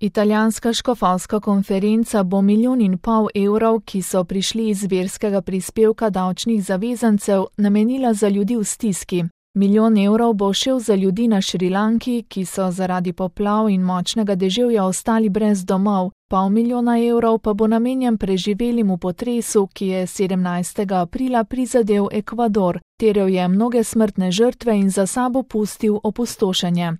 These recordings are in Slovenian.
Italijanska škofovska konferenca bo 1,5 milijona evrov, ki so prišli iz verskega prispevka davčnih zavezancev, namenila za ljudi v stiski. 1 milijon evrov bo šel za ljudi na Šrilanki, ki so zaradi poplav in močnega deževja ostali brez domov. 0,5 milijona evrov pa bo namenjen preživelim v potresu, ki je 17. aprila prizadel Ekvador, terjal je mnoge smrtne žrtve in za sabo pustil opustošenje.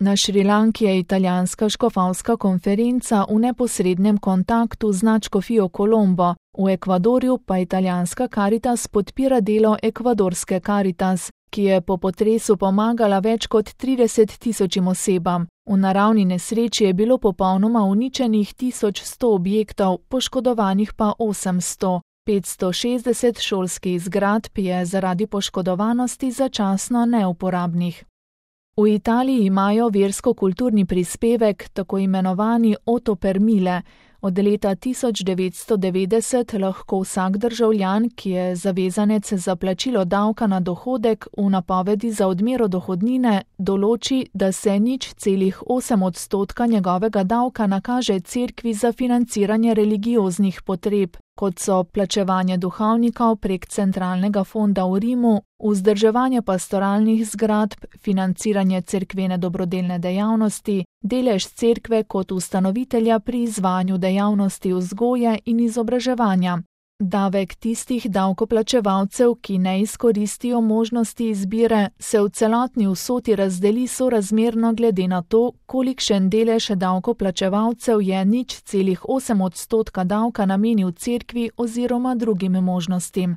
Na Šrilanki je italijanska škofovska konferenca v neposrednem kontaktu z nadškofijo Colombo, v Ekvadorju pa italijanska Caritas podpira delo ekvadorske Caritas, ki je po potresu pomagala več kot 30.000 osebam. V naravni nesreči je bilo popolnoma uničenih 1100 objektov, poškodovanih pa 800. 560 šolskih zgradb je zaradi poškodovanosti začasno neuporabnih. V Italiji imajo versko-kulturni prispevek, tako imenovani Otto per mille. Od leta 1990 lahko vsak državljan, ki je zavezanec za plačilo davka na dohodek, v napovedi za odmero dohodnine določi, da se 0,8% njegovega davka nakaže cerkvi za financiranje religioznih potreb, kot so plačevanje duhovnikov prek centralnega fonda v Rimu, vzdrževanje pastoralnih zgradb, financiranje cerkvene dobrodelne dejavnosti, delež cerkve kot ustanovitelja pri izvajanju dejavnosti vzgoje in izobraževanja. Davek tistih davkoplačevalcev, ki ne izkoristijo možnosti izbire, se v celotni vsoti razdeli sorazmerno glede na to, kolikšen delež davkoplačevalcev je 0,8% davka namenil cerkvi oziroma drugim možnostim.